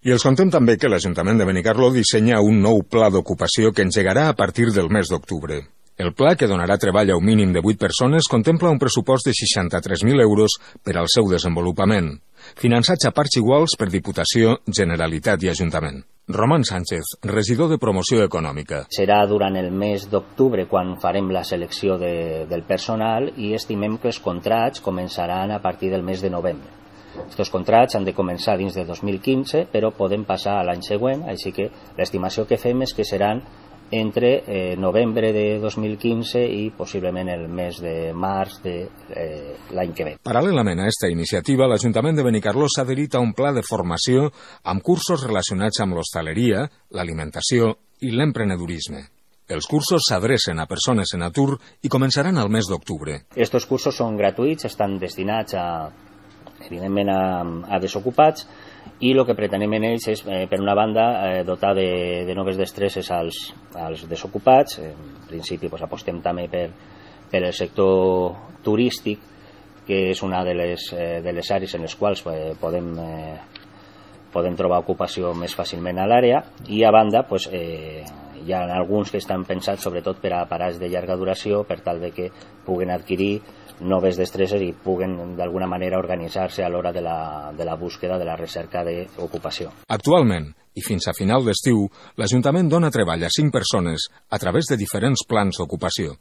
I els contem també que l'Ajuntament de Benicarló dissenya un nou pla d'ocupació que engegarà a partir del mes d'octubre. El pla, que donarà treball a un mínim de 8 persones, contempla un pressupost de 63.000 euros per al seu desenvolupament, finançats a parts iguals per Diputació, Generalitat i Ajuntament. Roman Sánchez, regidor de Promoció Econòmica. Serà durant el mes d'octubre quan farem la selecció del personal i estimem que els contrats començaran a partir del mes de novembre. Aquests contrats han de començar dins de 2015, però poden passar a l'any següent, així que l'estimació que fem és que seran entre novembre de 2015 i possiblement el mes de març de l'any que ve. Paral·lelament a aquesta iniciativa, l'Ajuntament de Benicarló s'ha adherit a un pla de formació amb cursos relacionats amb l'hostaleria, l'alimentació i l'emprenedorisme. Els cursos s'adrecen a persones en atur i començaran al mes d'octubre. Aquests cursos són gratuïts, estan destinats evidentment a desocupats, i el que pretenem en ells és, per una banda, dotar de noves destreses als desocupats. En principi apostem també per el sector turístic, que és una de les àrees en les quals podem trobar ocupació més fàcilment a l'àrea, i a banda hi ha alguns que estan pensats sobretot per a parats de llarga duració, per tal de que puguen adquirir noves destreses i puguen d'alguna manera organitzar-se a l'hora de la búsqueda, de la recerca d'ocupació. Actualment, i fins a final d'estiu, l'Ajuntament dona treball a 5 persones a través de diferents plans d'ocupació.